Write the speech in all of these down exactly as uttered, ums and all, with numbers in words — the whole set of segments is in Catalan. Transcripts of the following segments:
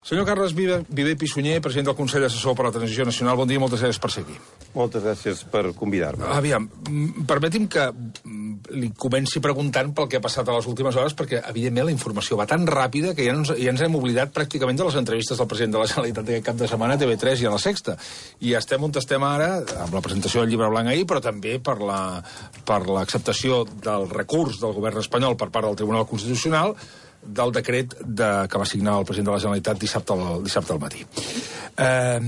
Senyor Carles Viver Pissunyer, president del Consell Assessor per a la Transició Nacional, bon dia i moltes gràcies per ser aquí. Moltes gràcies per convidar-me. Aviam, permeti'm que li comenci preguntant pel que ha passat a les últimes hores, perquè, evidentment, la informació va tan ràpida que ja ens, ja ens hem oblidat pràcticament de les entrevistes del president de la Generalitat aquest cap de setmana a T V tres i a La Sexta. I estem on estem ara, amb la presentació del llibre blanc ahir, però també per la, per l'acceptació del recurs del govern espanyol per part del Tribunal Constitucional del decret de, que va signar el president de la Generalitat dissabte al, dissabte al matí. Eh,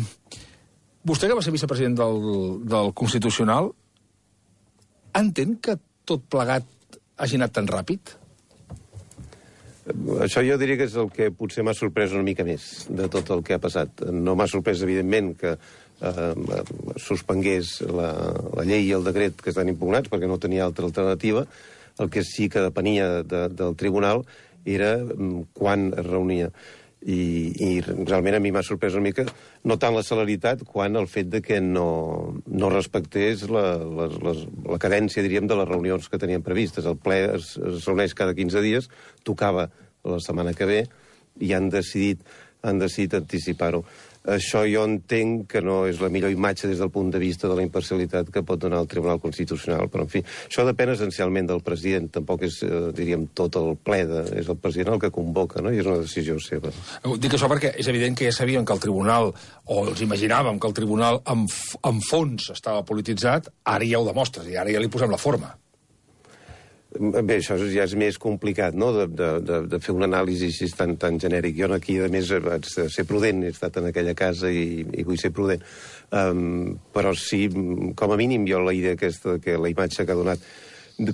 vostè, que va ser vicepresident del, del Constitucional, entén que tot plegat hagi anat tan ràpid? Això jo diria que és el que potser m'ha sorprès una mica més de tot el que ha passat. No m'ha sorprès, evidentment, que eh, suspengués la, la llei i el decret que estan impugnats, perquè no tenia altra alternativa. El que sí que depenia de, del tribunal era quan es reunia. I, i realment a mi m'ha sorprès una mica no tant la celeritat quan el fet de que no, no respectés la, la, la, la cadència, diríem, de les reunions que tenien previstes. El ple es, es reuneix cada quinze dies, tocava la setmana que ve i han decidit, han decidit anticipar-ho. Això jo entenc que no és la millor imatge des del punt de vista de la imparcialitat que pot donar el Tribunal Constitucional, però en fi, això depèn essencialment del president, tampoc és, eh, diríem, tot el ple, de, és el president el que convoca, no? I és una decisió seva. Dic això perquè és evident que ja sabien que el Tribunal, o els imaginàvem que el Tribunal en, en fons estava polititzat, ara ja ho demostres, i ara ja li posem la forma. Bé, això ja és més complicat, no?, de, de, de fer un anàlisi així tan, tan genèric. Jo aquí, a més, haig de ser prudent, he estat en aquella casa i, i vull ser prudent. Um, però sí, com a mínim, jo la idea aquesta, que la imatge que ha donat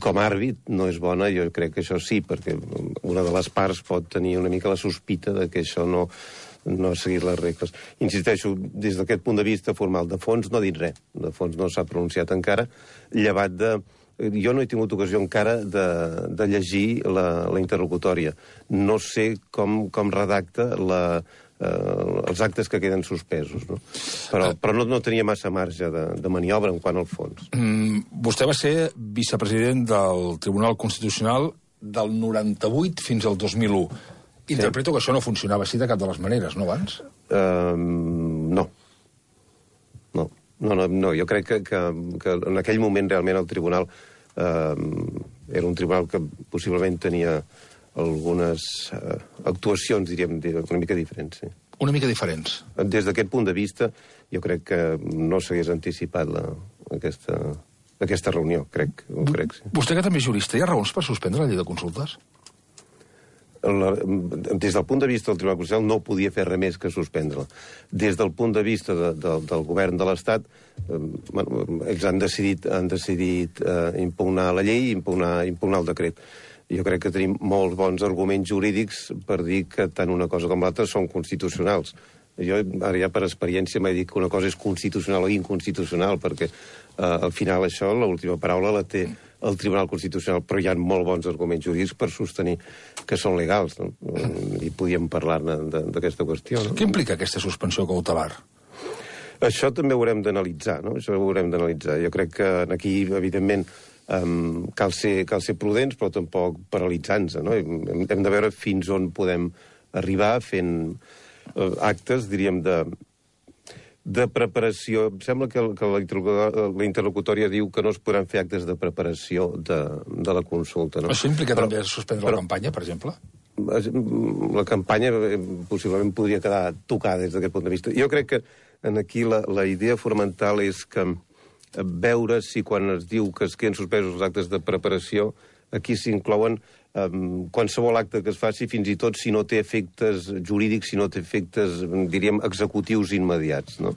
com a àrbit no és bona, jo crec que això sí, perquè una de les parts pot tenir una mica la sospita de que això no, no ha seguit les regles. Insisteixo, des d'aquest punt de vista formal, de fons no ha dit res, de fons no s'ha pronunciat encara, llevat de... Jo no he tingut ocasió encara de, de llegir la, la interlocutòria. No sé com, com redacta la, eh, els actes que queden suspesos, no? Però, però no, no tenia massa marge de, de maniobra en quant al fons. Mm, vostè va ser vicepresident del Tribunal Constitucional del noranta-vuit fins al dos mil u. Interpreto sí. Que això no funcionava així de cap de les maneres, no, abans? Uh, no. No. No, no, no, jo crec que, que, que en aquell moment realment el tribunal eh, era un tribunal que possiblement tenia algunes eh, actuacions, diríem, una mica diferents. Sí. Una mica diferents? Des d'aquest punt de vista, jo crec que no s'hagués anticipat la, aquesta, aquesta reunió, crec. Ho crec sí. Vostè, que també és jurista, hi ha raons per suspendre la llei de consultes? La, des del punt de vista del Tribunal Constitucional no podia fer res més que suspendre-la. Des del punt de vista de, de, del govern de l'Estat, eh, bueno, ells han decidit, han decidit eh, impugnar la llei i impugnar, impugnar el decret. Jo crec que tenim molts bons arguments jurídics per dir que tant una cosa com l'altra són constitucionals. Jo ara ja per experiència m'he dit que una cosa és constitucional o inconstitucional, perquè eh, al final això, l'última paraula la té el Tribunal Constitucional, però hi ha molt bons arguments jurídics per sostenir que són legals, no? I podíem parlar-ne d'aquesta qüestió. No? Què implica aquesta suspensió cautelar? Això també ho haurem d'analitzar, no? Això ho haurem d'analitzar. Jo crec que aquí, evidentment, um, cal, ser, cal ser prudents, però tampoc paralitzant-se, no? Hem, hem de veure fins on podem arribar fent uh, actes, diríem, de... de preparació. Em sembla que, que la, la interlocutòria diu que no es podran fer actes de preparació de, de la consulta. No? Això implica però, també suspendre però, la campanya, per exemple? La campanya possiblement podria quedar tocada des d'aquest punt de vista. Jo crec que en aquí la, la idea fonamental és que veure si quan es diu que es queden suspesos els actes de preparació, aquí s'inclouen um, qualsevol acte que es faci, fins i tot si no té efectes jurídics, si no té efectes, diríem, executius immediats, no?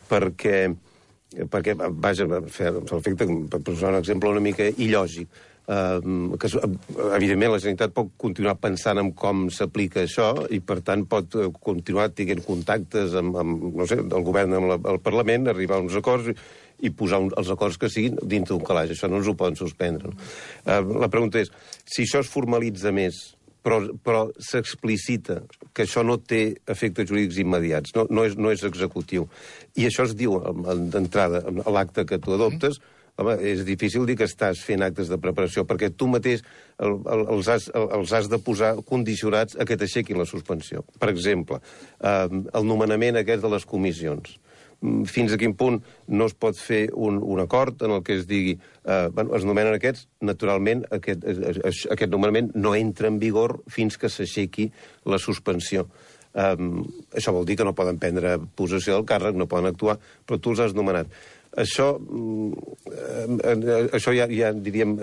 Perquè, perquè vaja, l'efecte, per posar un exemple una mica il·lògic, um, que evidentment la Generalitat pot continuar pensant en com s'aplica això i, per tant, pot continuar tenint contactes amb, amb no sé, el govern, amb la, el Parlament, arribar a uns acords i posar un, els acords que siguin dintre d'un calaix. Això no ens ho poden suspendre. No? Uh, la pregunta és, si això es formalitza més, però, però s'explicita que això no té efectes jurídics immediats, no, no, és, no és executiu, i això es diu d'entrada a l'acte que tu adoptes, home, és difícil dir que estàs fent actes de preparació, perquè tu mateix el, el, els, has, el, els has de posar condicionats a que t'aixequin la suspensió. Per exemple, eh, el nomenament aquest de les comissions. Fins a quin punt no es pot fer un, un acord en el que es digui eh, bueno, es nomenen aquests, naturalment aquest, aquest nomenament no entra en vigor fins que s'aixequi la suspensió. Um, això vol dir que no poden prendre possessió del càrrec, no poden actuar, però tu els has nomenat. Això, eh, això ja, ja, diríem,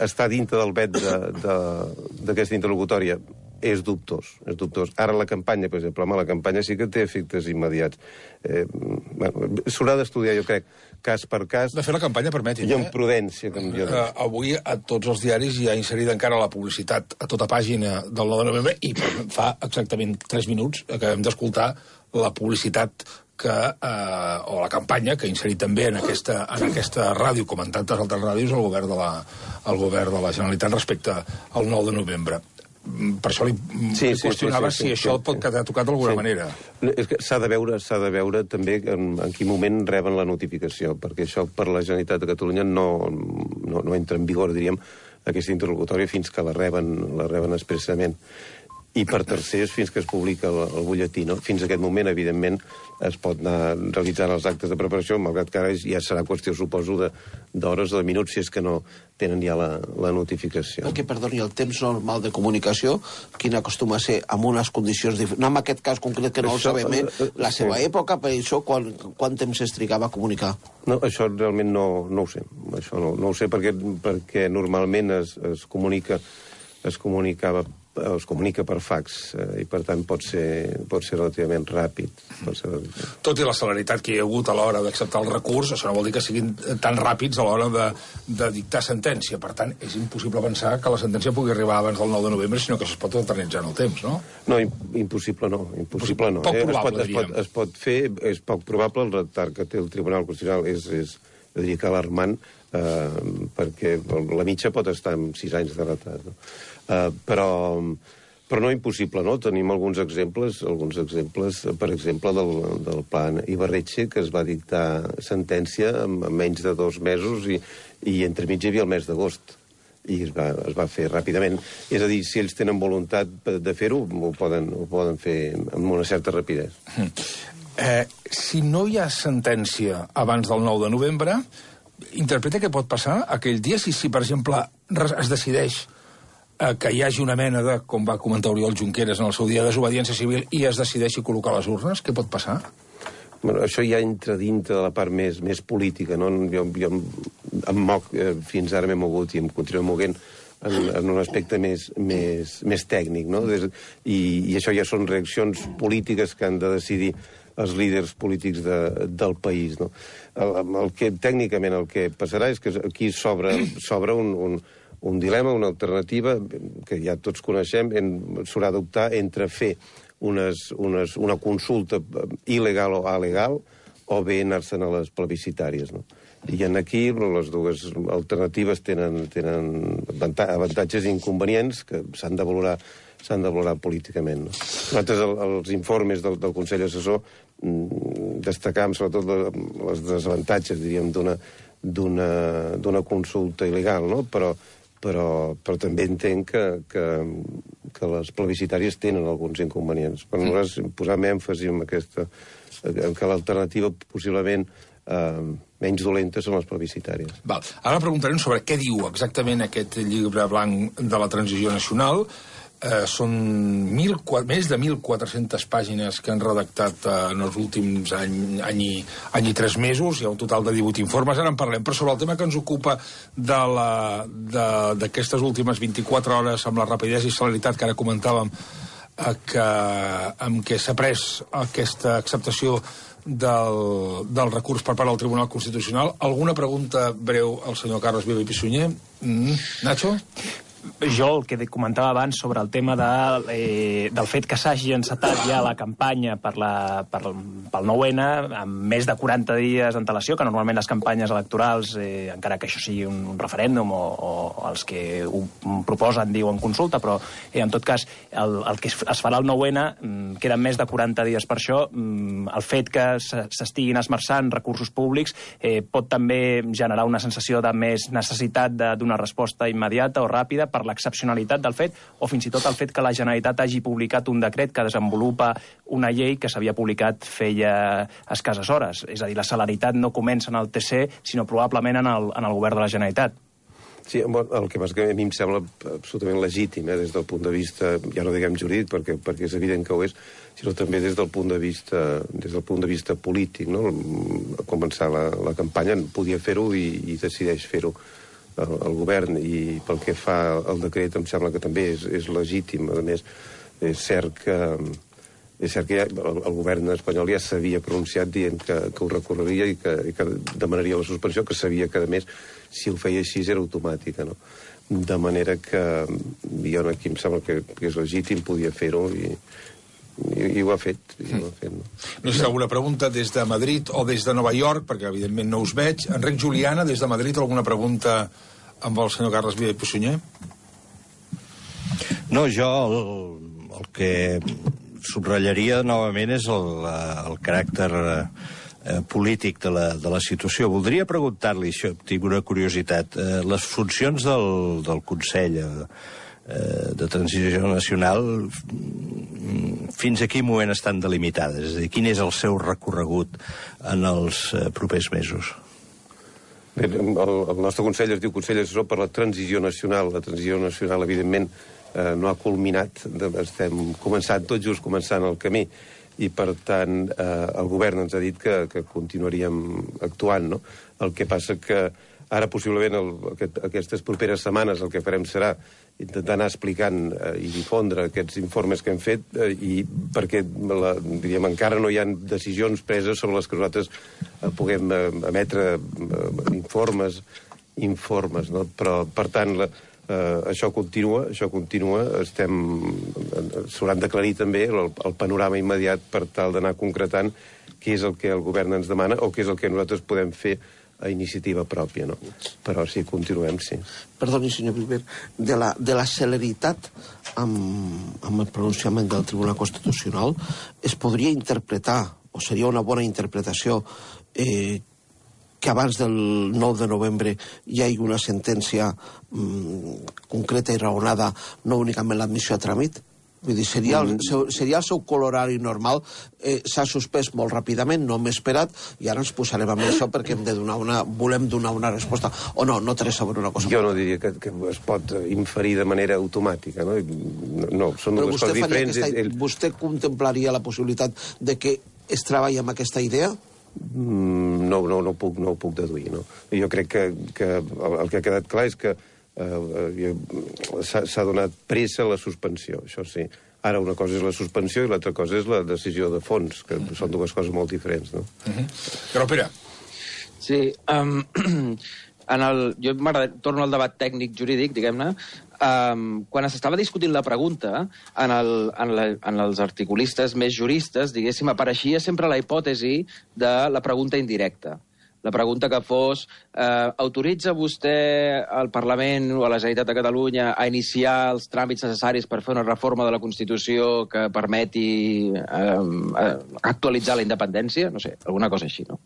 està dintre del vet d'aquesta de, interlocutòria. És dubtós, és dubtós. Ara la campanya, per exemple, home, la campanya sí que té efectes immediats. Eh, bueno, s'haurà d'estudiar, jo crec, cas per cas. De fer la campanya, permetin. I amb prudència, com jo uh, avui a tots els diaris hi ha inserida encara la publicitat a tota pàgina del nou de novembre i fa exactament tres minuts acabem d'escoltar la publicitat que, eh, o la campanya que ha inserit també en aquesta, en aquesta ràdio, com en tantes altres ràdios, el govern de la, el govern de la Generalitat respecte al nou de novembre. Per això li, sí, li qüestionava sí, sí, sí, si sí, això sí, pot quedar tocat d'alguna sí. manera. És que s'ha de veure, s'ha de veure també en, en quin moment reben la notificació, perquè això per la Generalitat de Catalunya no, no, no entra en vigor, diríem, aquesta interlocutòria fins que la reben, la reben expressament. I per tercers fins que es publica el, el butlletí. No? Fins a aquest moment, evidentment, es pot anar realitzant els actes de preparació, malgrat que ara ja serà qüestió, suposo, d'hores o de minuts, si és que no tenen ja la, la notificació. El que, perdoni, el temps normal de comunicació, quin acostuma a ser amb unes condicions diferents? No en aquest cas concret, que no això, el sabem, eh? La seva sí. època, per això, quan, quant temps es trigava a comunicar? No, això realment no, no ho sé. Això no, no ho sé perquè, perquè normalment es, es comunica, es comunicava es comunica per fax eh, i per tant pot ser, pot ser relativament ràpid. Pot ser relativament... Tot i la celeritat que hi ha hagut a l'hora d'acceptar el recurs, això no vol dir que siguin tan ràpids a l'hora de, de dictar sentència. Per tant, és impossible pensar que la sentència pugui arribar abans del nou de novembre, sinó que es pot eternitzar en el temps, no? No, impossible no. Impossible no. Poc probable, eh? es, pot, es, pot, es pot fer, és poc probable, el retard que té el Tribunal Constitucional és, és jo diria que alarmant, eh, perquè la mitja pot estar amb sis anys de retard, no? Uh, però, però no impossible, no? Tenim alguns exemples, alguns exemples, per exemple, del, del plan Ibarretxe, que es va dictar sentència en, en menys de dos mesos i, i entremig hi havia el mes d'agost. I es va, es va fer ràpidament. És a dir, si ells tenen voluntat de fer-ho, ho poden, ho poden fer amb una certa rapidesa. Eh, si no hi ha sentència abans del nou de novembre, interpreta què pot passar aquell dia si, si per exemple, es decideix que hi hagi una mena de, com va comentar Oriol Junqueras en el seu dia, desobediència civil i es decideixi col·locar les urnes, què pot passar? Bueno, això ja entra dintre de la part més, més política, no? Jo, jo em moc, eh, fins ara m'he mogut i em continuo moguent en, en un aspecte més, més, més tècnic, no? Des, i, I això ja són reaccions polítiques que han de decidir els líders polítics de, del país, no? El, el que, tècnicament, el que passarà és que aquí s'obre un, un un dilema, una alternativa, que ja tots coneixem, s'haurà d'optar entre fer unes, unes, una consulta il·legal o alegal o bé anar-se'n a les plebiscitàries, no? I en aquí les dues alternatives tenen, tenen avantatges i inconvenients que s'han de valorar s'han de valorar políticament, no? Nosaltres, el, els informes del, del Consell Assessor destacàvem sobretot les desavantatges, diríem, d'una d'una consulta il·legal, no? Però Però, però també entenc que, que, que les plebiscitàries tenen alguns inconvenients. Per nosaltres posem èmfasi en aquesta, en que l'alternativa possiblement eh, menys dolenta són les plebiscitàries. Val. Ara preguntarem sobre què diu exactament aquest llibre blanc de la transició nacional. Eh, són mil, més de mil quatre-centes pàgines que han redactat eh, en els últims any, any, i, any i tres mesos. Hi ha un total de divuit informes, ara en parlem. Però sobre el tema que ens ocupa d'aquestes últimes vint-i-quatre hores amb la rapidesa i celeritat que ara comentàvem eh, que, amb què s'ha pres aquesta acceptació del, del recurs per part del Tribunal Constitucional. Alguna pregunta breu al senyor Carles Viva i Pissunyer? Mm, Nacho? Jo el que comentava abans sobre el tema de, eh, del fet que s'hagi encetat ja la campanya per la, per, pel nou ene amb més de quaranta dies d'antelació, que normalment les campanyes electorals, eh, encara que això sigui un, un referèndum o, o els que ho proposen diuen consulta, però eh, en tot cas el, el que es farà el nou ene, queden més de quaranta dies per això, el fet que s'estiguin esmerçant recursos públics eh, pot també generar una sensació de més necessitat de donar resposta immediata o ràpida per l'excepcionalitat del fet, o fins i tot el fet que la Generalitat hagi publicat un decret que desenvolupa una llei que s'havia publicat feia escasses hores. És a dir, la celeritat no comença en el T C, sinó probablement en el, en el govern de la Generalitat. Sí, el que passa que a mi em sembla absolutament legítim, eh, des del punt de vista, ja no diguem jurídic, perquè, perquè és evident que ho és, sinó també des del punt de vista, des del punt de vista polític, no? Començar la, la campanya, podia fer-ho i, i decideix fer-ho el, el govern, i pel que fa al decret em sembla que també és, és legítim. A més, és cert que, és cert que ja, el, el govern espanyol ja s'havia pronunciat dient que, que ho recorreria i que, i que demanaria la suspensió, que sabia que, a més, si ho feia així era automàtica, no? De manera que jo aquí em sembla que, que és legítim, podia fer-ho i, i, i ho ha fet. I ho ha fet, no? No sé si alguna pregunta des de Madrid o des de Nova York, perquè evidentment no us veig. Enric Juliana, des de Madrid, alguna pregunta amb el senyor Carles Vila i Pussunyer? No, jo el, el que subratllaria novament és el, el caràcter eh, polític de la, de la situació. Voldria preguntar-li, això, tinc una curiositat, eh, les funcions del, del Consell eh, de Transició Nacional fins a quin moment estan delimitades? És a dir, quin és el seu recorregut en els eh, propers mesos? Bé, el, el nostre Consell es diu Consell Assessor per la Transició Nacional. La Transició Nacional, evidentment, eh, no ha culminat, estem començant, tot just començant el camí, i per tant eh, el govern ens ha dit que, que continuaríem actuant, no? El que passa que ara possiblement el, aquest, aquestes properes setmanes el que farem serà intentar anar explicant eh, i difondre aquests informes que hem fet eh, i perquè la, diríem, encara no hi ha decisions preses sobre les que nosaltres eh, puguem eh, emetre eh, informes informes, no? Però per tant la, eh, això continua, això continua, estem s'hauran d'aclarir també el, el panorama immediat per tal d'anar concretant què és el que el govern ens demana o què és el que nosaltres podem fer a iniciativa pròpia, no? Però sí, continuem, sí. Perdoni, senyor Viver, de la, de la celeritat amb, amb el pronunciament del Tribunal Constitucional es podria interpretar, o seria una bona interpretació, eh, que abans del nou de novembre hi hagi una sentència mm, concreta i raonada, no únicament l'admissió a tràmit? Vull dir, seria el, seria el seu colorari normal, eh, s'ha suspès molt ràpidament, no m'he esperat, i ara ens posarem amb això perquè hem de donar una, volem donar una resposta. O no, no té res a veure una cosa. Jo no diria que, que es pot inferir de manera automàtica, no? No, són dues coses diferents. Aquesta, el... Vostè contemplaria la possibilitat de que es treballi amb aquesta idea? Mm, no, no, no, puc, no ho puc deduir, no? Jo crec que, que el, el que ha quedat clar és que Uh, s'ha donat pressa a la suspensió, això sí. Ara una cosa és la suspensió i l'altra cosa és la decisió de fons, que són dues coses molt diferents, no? Uh-huh. Però, Pere. Sí, um, en el, jo torno al debat tècnic jurídic, diguem-ne. Um, quan s'estava discutint la pregunta, en, el, en, la, en els articulistes més juristes, diguéssim, apareixia sempre la hipòtesi de la pregunta indirecta. La pregunta que fos, eh, autoritza vostè al Parlament o a la Generalitat de Catalunya a iniciar els tràmits necessaris per fer una reforma de la Constitució que permeti eh, actualitzar la independència? No sé, alguna cosa així, no?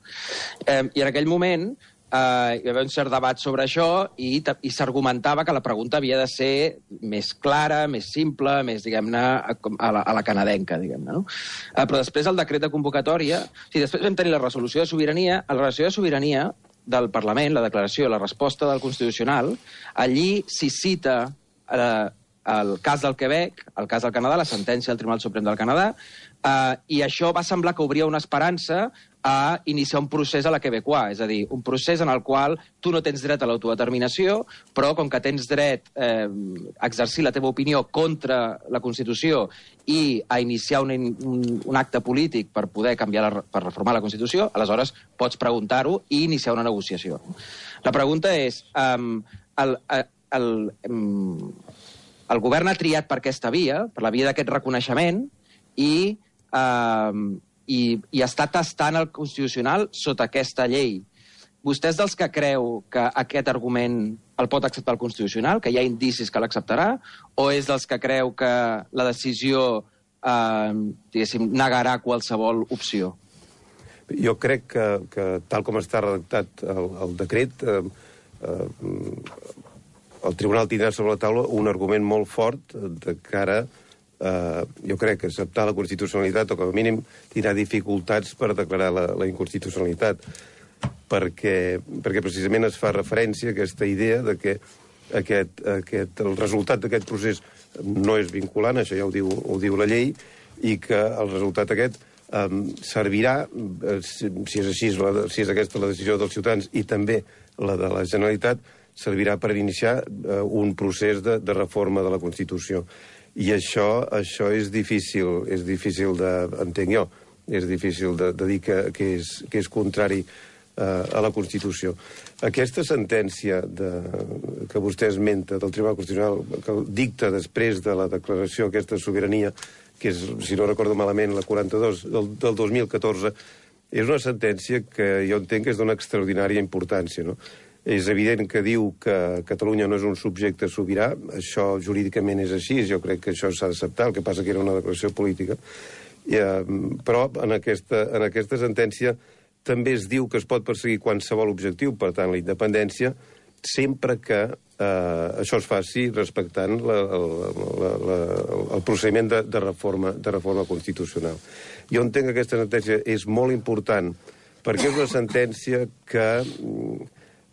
Eh, I en aquell moment Uh, hi va haver un cert debat sobre això i, i s'argumentava que la pregunta havia de ser més clara, més simple, més, diguem-ne, a, a, la, a la canadenca, diguem-ne, no? Uh, però després el decret de convocatòria... O sigui, després vam tenir la resolució de sobirania. A la resolució de sobirania del Parlament, la declaració, la resposta del Constitucional, allí s'hi cita uh, el cas del Quebec, el cas del Canadà, la sentència del Tribunal Suprem del Canadà, uh, i això va semblar que obria una esperança a iniciar un procés a la quebecois, és a dir, un procés en el qual tu no tens dret a l'autodeterminació, però com que tens dret eh, a exercir la teva opinió contra la Constitució i a iniciar un, un, un acte polític per poder canviar la, per reformar la Constitució, aleshores pots preguntar-ho i iniciar una negociació. La pregunta és, um, el, uh, el, el govern ha triat per aquesta via, per la via d'aquest reconeixement, i, eh, i, i està tastant el Constitucional sota aquesta llei. Vostè és dels que creu que aquest argument el pot acceptar el Constitucional, que hi ha indicis que l'acceptarà, o és dels que creu que la decisió, eh, diguéssim, negarà qualsevol opció? Jo crec que, que tal com està redactat el, el decret, eh, eh, el Tribunal tindrà sobre la taula un argument molt fort de cara, eh, jo crec, que acceptar la constitucionalitat, o com a mínim tindrà dificultats per declarar la, la inconstitucionalitat, perquè, perquè precisament es fa referència a aquesta idea de que aquest, aquest, el resultat d'aquest procés no és vinculant, això ja ho diu, ho diu la llei, i que el resultat aquest Um, servirà, uh, si, si és així, la, si és aquesta la decisió dels ciutadans i també la de la Generalitat, servirà per iniciar uh, un procés de, de reforma de la Constitució. I això, això és difícil, és difícil de, entenc jo, és difícil de, de dir que, que, és, que és contrari uh, a la Constitució. Aquesta sentència de, que vostè esmenta del Tribunal Constitucional, que dicta després de la declaració aquesta sobirania, que és, si no recordo malament, la quaranta-dos del, del dos mil catorze, és una sentència que jo entenc que és d'una extraordinària importància, no? És evident que diu que Catalunya no és un subjecte sobirà, això jurídicament és així, jo crec que això s'ha d'acceptar, el que passa que era una declaració política, I, eh, però en aquesta, en aquesta sentència també es diu que es pot perseguir qualsevol objectiu, per tant, la independència, sempre que eh, això es faci respectant la, la, la, el procediment de, de, reforma, de reforma constitucional. Jo entenc que aquesta sentència és molt important perquè és una sentència que,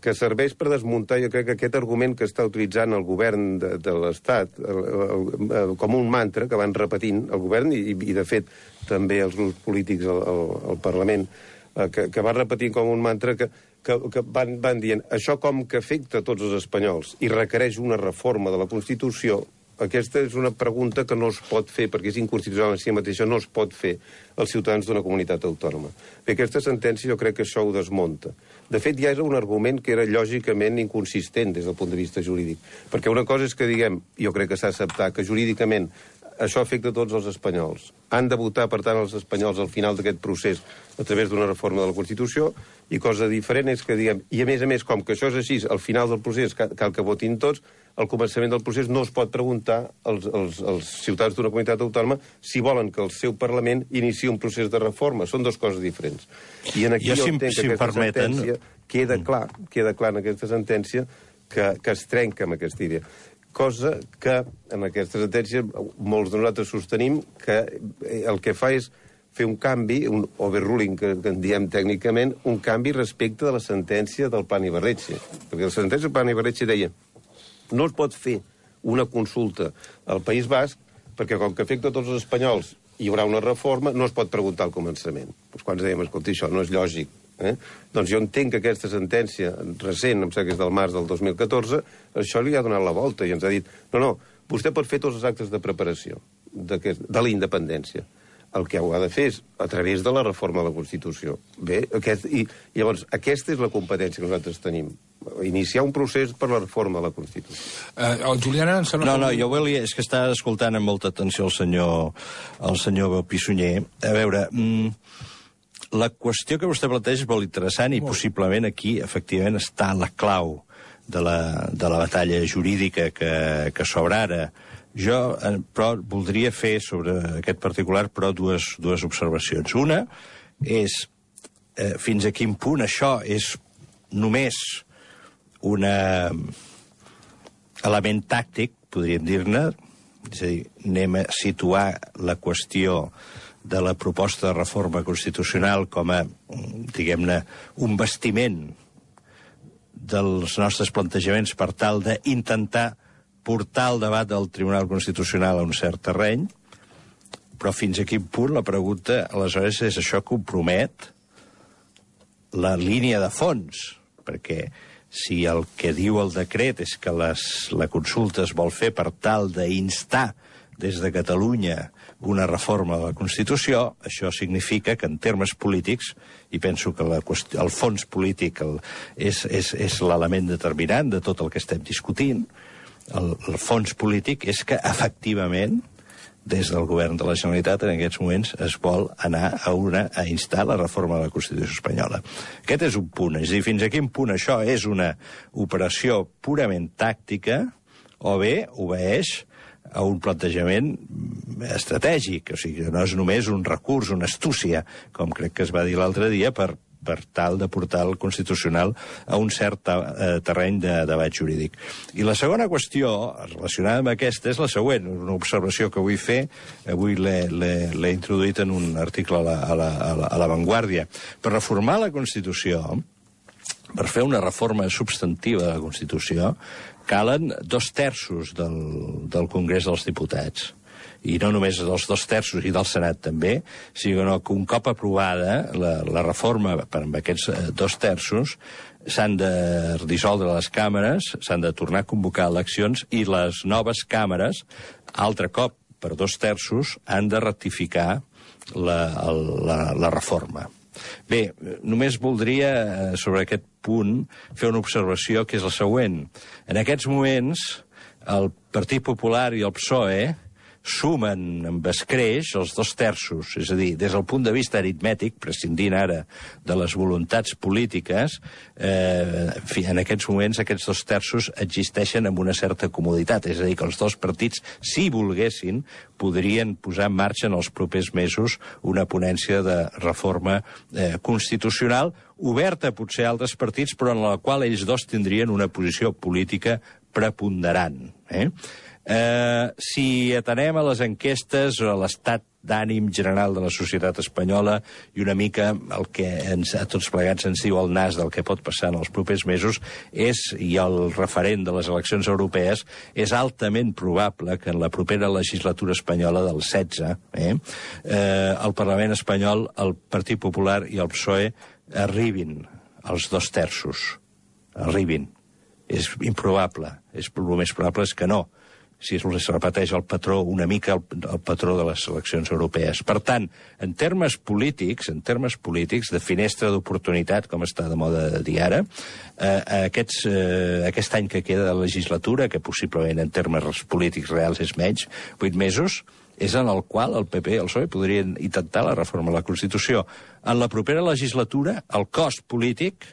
que serveix per desmuntar, jo crec que aquest argument que està utilitzant el govern de, de l'Estat el, el, el, com un mantra que van repetint el govern i, i de fet també els grups polítics al, al, al Parlament, eh, que, que van repetint com un mantra que que, que van, van dient això com que afecta a tots els espanyols i requereix una reforma de la Constitució, aquesta és una pregunta que no es pot fer, perquè és inconstitucional en si mateixa, no es pot fer als ciutadans d'una comunitat autònoma. Bé, aquesta sentència jo crec que això ho desmunta. De fet, ja era un argument que era lògicament inconsistent des del punt de vista jurídic, perquè una cosa és que diguem, jo crec que s'ha d'acceptar, que jurídicament això afecta a tots els espanyols. Han de votar, per tant, els espanyols al final d'aquest procés a través d'una reforma de la Constitució, i cosa diferent és que diguem, i a més a més, com que això és així, al final del procés cal que votin tots, al començament del procés no es pot preguntar als, als, als ciutadans d'una comunitat autònoma si volen que el seu Parlament iniciï un procés de reforma. Són dues coses diferents. I en aquí jo, jo entenc si que aquesta permeten... sentència queda clar, queda clar en aquesta sentència que, que es trenca amb aquesta idea. Cosa que en aquesta sentència molts de nosaltres sostenim que el que fa és fer un canvi, un overruling, que, que en diem tècnicament, un canvi respecte de la sentència del Pan i Barretxe. Perquè la sentència del Pan i Barretxe deia no es pot fer una consulta al País Basc perquè com que afecta a tots els espanyols hi haurà una reforma, no es pot preguntar al començament. Doncs quan dèiem, escolta, això no és lògic. Eh? Doncs jo entenc que aquesta sentència recent, em sembla que és del març del dos mil catorze, això li ha donat la volta i ens ha dit no, no, vostè pot fer tots els actes de preparació de la independència. El que ho ha de fer és a través de la reforma de la Constitució. Bé, aquest, i llavors aquesta és la competència que nosaltres tenim. Iniciar un procés per la reforma de la Constitució. Uh, el Juliana... Em sembla no, no, jo volia... És que està escoltant amb molta atenció el senyor, el senyor Pissunyer. A veure... Mm, la qüestió que vostè planteja és molt interessant i molt. Possiblement aquí, efectivament, està la clau de la, de la batalla jurídica que, que s'obre ara. Jo, però, voldria fer sobre aquest particular, però, dues, dues observacions. Una és eh, fins a quin punt això és només un element tàctic, podríem dir-ne, és a dir, anem a situar la qüestió de la proposta de reforma constitucional com a, diguem-ne, un bastiment dels nostres plantejaments per tal d'intentar portar el debat del Tribunal Constitucional a un cert terreny, però fins a quin punt la pregunta, aleshores, és això compromet la línia de fons, perquè si el que diu el decret és que les, la consulta es vol fer per tal d'instar des de Catalunya una reforma de la Constitució, això significa que en termes polítics, i penso que la qüestió, el fons polític el, és, és, és l'element determinant de tot el que estem discutint, el, el fons polític és que, efectivament, des del govern de la Generalitat, en aquests moments, es vol anar a, una, a instar la reforma de la Constitució espanyola. Aquest és un punt. És a dir, fins a quin punt això és una operació purament tàctica o bé obeeix a un plantejament estratègic. O sigui, no és només un recurs, una astúcia, com crec que es va dir l'altre dia, per, per tal de portar el Constitucional a un cert eh, terreny de debat jurídic. I la segona qüestió, relacionada amb aquesta, és la següent, una observació que vull fer, avui l'he introduït en un article a la, a la, a la, a la Vanguardia. Per reformar la Constitució, per fer una reforma substantiva de la Constitució, calen dos terços del, del Congrés dels Diputats. I no només dels dos terços i del Senat també, sinó que un cop aprovada la, la reforma per amb aquests dos terços, s'han de dissoldre les càmeres, s'han de tornar a convocar eleccions i les noves càmeres, altre cop per dos terços, han de ratificar la, la, la reforma. Bé, només voldria, sobre aquest punt, fer una observació que és la següent. En aquests moments, el Partit Popular i el P S O E sumen amb escreix els dos terços, és a dir, des del punt de vista aritmètic, prescindint ara de les voluntats polítiques, eh, en fi, en aquests moments aquests dos terços existeixen amb una certa comoditat, és a dir, que els dos partits, si volguessin, podrien posar en marxa en els propers mesos una ponència de reforma eh, constitucional, oberta potser a altres partits, però en la qual ells dos tindrien una posició política preponderant. Eh? Eh, si atenem a les enquestes o a l'estat d'ànim general de la societat espanyola i una mica el que ens, a tots plegats ens diu el nas del que pot passar en els propers mesos és, i el referent de les eleccions europees, és altament probable que en la propera legislatura espanyola del setze, eh, eh, el Parlament espanyol, el Partit Popular i el P S O E arribin als dos terços. Arribin. És improbable. És, el més probable és que no. Si es repeteix el patró, una mica el, el patró de les eleccions europees. Per tant, en termes polítics, en termes polítics, de finestra d'oportunitat, com està de moda dir ara, eh, aquests, eh, aquest any que queda de legislatura, que possiblement en termes polítics reals és menys, vuit mesos, és en el qual el P P i el P S O E podrien intentar la reforma de la Constitució. En la propera legislatura, el cost polític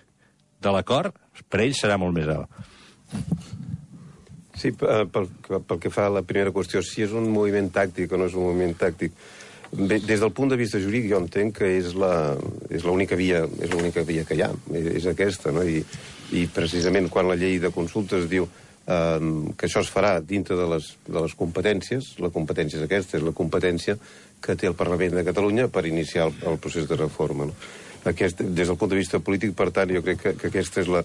de l'acord per ells serà molt més alt. Sí, pel, pel que fa a la primera qüestió, si és un moviment tàctic o no és un moviment tàctic, bé, des del punt de vista jurídic jo entenc que és la, és l'única via, és l'única via que hi ha, és aquesta, no? I, i precisament quan la llei de consultes diu eh, que això es farà dintre de les, de les competències, la competència és aquesta, és la competència que té el Parlament de Catalunya per iniciar el, el procés de reforma. No? Aquest, des del punt de vista polític, per tant, jo crec que, que aquesta és la,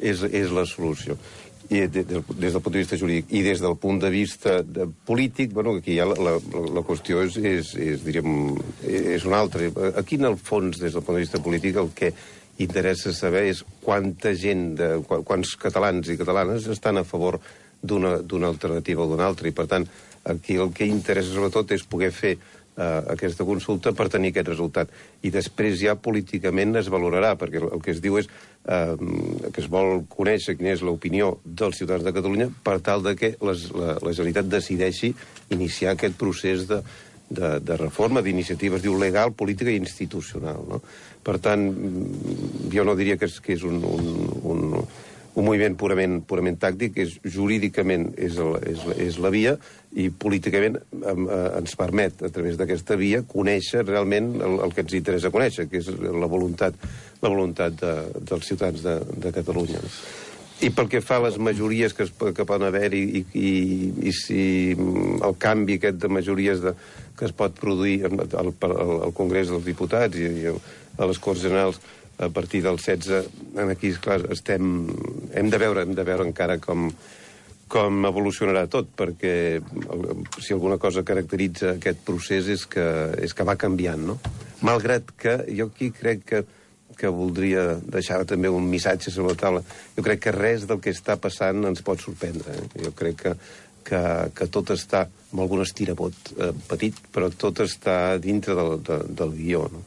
és, és la solució. I de, de, des del punt de vista jurídic i des del punt de vista de, polític, bueno, aquí ja la, la, la qüestió és, és, és, diríem, és una altra. Aquí, en el fons, des del punt de vista polític, el que interessa saber és quanta gent, de, quants catalans i catalanes estan a favor d'una alternativa o d'una altra. I, per tant, aquí el que interessa sobretot és poder fer Uh, aquesta consulta per tenir aquest resultat. I després ja políticament es valorarà, perquè el que es diu és uh, que es vol conèixer quina és l'opinió dels ciutadans de Catalunya per tal de que les, la, la Generalitat decideixi iniciar aquest procés de, de, de reforma, d'iniciativa, es diu legal, política i institucional. No? Per tant, jo no diria que és, que és un, un, un, un moviment purament, purament tàctic, és, jurídicament és, el, és, és la via, i políticament eh, ens permet, a través d'aquesta via, conèixer realment el, el que ens interessa conèixer, que és la voluntat, la voluntat de, dels ciutadans de, de Catalunya. I pel que fa a les majories que, es, que poden haver-hi i, i, i si el canvi aquest de majories de, que es pot produir al, al, al Congrés dels Diputats i, i a les Corts Generals a partir del setze, aquí, clar, estem, hem de veure, hem de veure encara com com evolucionarà tot, perquè si alguna cosa caracteritza aquest procés és que, és que va canviant, no? Malgrat que jo aquí crec que, que voldria deixar també un missatge sobre la taula. Jo crec que res del que està passant ens pot sorprendre. Eh? Jo crec que, que, que tot està, amb algun estirabot eh, petit, però tot està dintre del, de, del guió, no?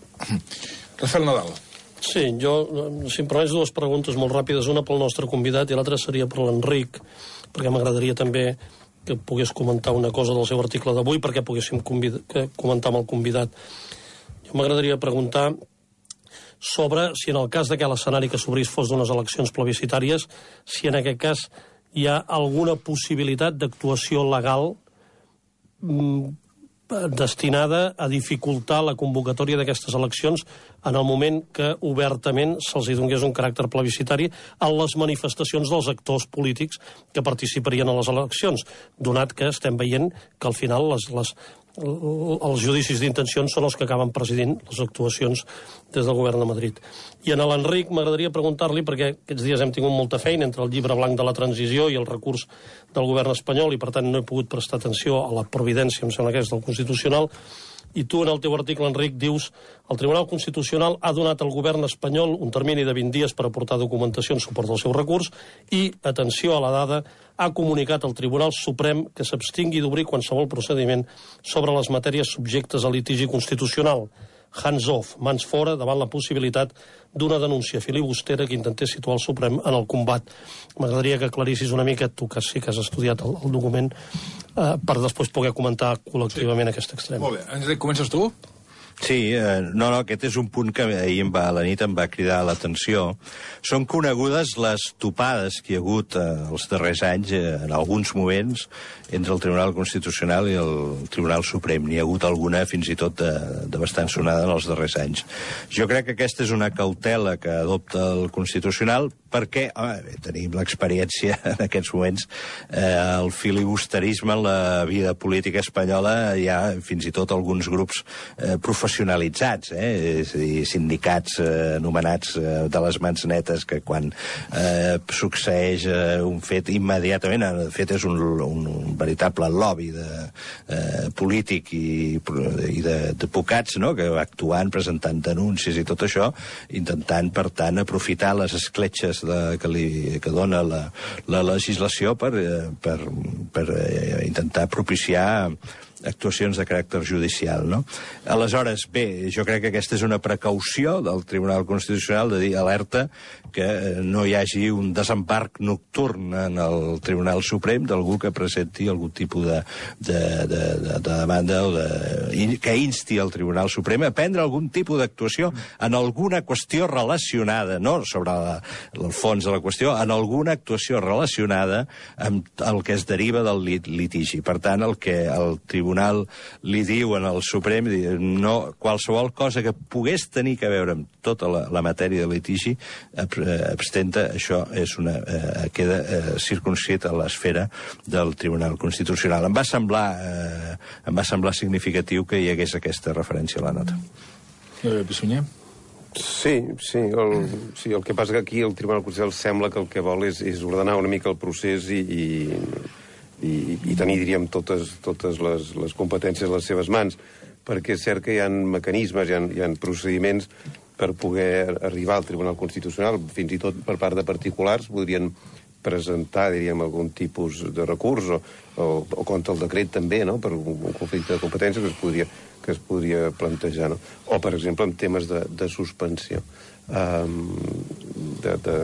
Rafael Nadal. Sí, jo, si em permets dues preguntes molt ràpides, una pel nostre convidat i l'altra seria per l'Enric. perquè m'agradaria també que pogués comentar una cosa del seu article d'avui, perquè poguéssim comentar amb el convidat. Jo m'agradaria preguntar sobre si en el cas de que l'escenari que s'obrís fos d'unes eleccions plebiscitàries, si en aquest cas hi ha alguna possibilitat d'actuació legal mm, destinada a dificultar la convocatòria d'aquestes eleccions en el moment que obertament se'ls donés un caràcter plebiscitari a les manifestacions dels actors polítics que participarien a les eleccions, donat que estem veient que al final les, les, els judicis d'intencions són els que acaben presidint les actuacions des del govern de Madrid. I en l'Enric m'agradaria preguntar-li, perquè aquests dies hem tingut molta feina entre el llibre blanc de la transició i el recurs del govern espanyol, i per tant no he pogut prestar atenció a la providència, em sembla que és del Constitucional, i tu en el teu article, Enric, dius el Tribunal Constitucional ha donat al govern espanyol un termini de vint dies per aportar documentació en suport del seu recurs i, atenció a la dada, ha comunicat al Tribunal Suprem que s'abstingui d'obrir qualsevol procediment sobre les matèries subjectes a litigi constitucional. Hands off, mans fora, davant la possibilitat d'una denúncia filibustera que intentés situar el Suprem en el combat. M'agradaria que aclarissis una mica, tu que sí que has estudiat el, el document, eh, per després poder comentar col·lectivament sí. aquest extrem. Molt bé. Enric, comences tu? Sí, eh, no, no, aquest és un punt que ahir em va, a la nit em va cridar l'atenció. Són conegudes les topades que hi ha hagut eh, els darrers anys, eh, en alguns moments, entre el Tribunal Constitucional i el Tribunal Suprem. N'hi ha hagut alguna fins i tot de, de bastant sonada en els darrers anys. Jo crec que aquesta és una cautela que adopta el Constitucional perquè, home, tenim l'experiència en aquests moments, eh, el filibusterisme en la vida política espanyola, hi ha fins i tot alguns grups eh, professionalitzats, eh, és a dir, sindicats eh, anomenats eh, de les mans netes, que quan eh, succeeix eh, un fet immediatament, de fet és un, un, un veritable lobby de, eh, polític i, i d'advocats, no?, que va actuant, presentant denúncies i tot això, intentant, per tant, aprofitar les escletxes de, que, li, que dona la, la legislació per, per, per eh, intentar propiciar actuacions de caràcter judicial, no? Aleshores, bé, jo crec que aquesta és una precaució del Tribunal Constitucional de dir alerta que no hi hagi un desembarc nocturn en el Tribunal Suprem d'algú que presenti algun tipus de, de, de, de, de demanda o de, que insti el Tribunal Suprem a prendre algun tipus d'actuació en alguna qüestió relacionada, no sobre la, el fons de la qüestió, en alguna actuació relacionada amb el que es deriva del lit, litigi. Per tant, el que el Tribunal Tribunal li diu en el Suprem, no, qualsevol cosa que pogués tenir que veure amb tota la, la matèria de litigi, abstenta, això és una, eh, queda eh, circunscrit a l'esfera del Tribunal Constitucional. Em va semblar, eh, em va semblar significatiu que hi hagués aquesta referència a la nota. Eh, Pissunyer? Sí, sí el, sí, el que passa que aquí el Tribunal Constitucional sembla que el que vol és, és ordenar una mica el procés i... i I, i tenir, diríem, totes, totes les, les competències a les seves mans, perquè és cert que hi ha mecanismes, hi ha, hi ha procediments per poder arribar al Tribunal Constitucional, fins i tot per part de particulars, podrien presentar, diríem, algun tipus de recurs, o, o, o contra el decret també, no?, per un, un conflicte de competències que es podria, que es podria plantejar, no? O, per exemple, en temes de, de suspensió um, de, de,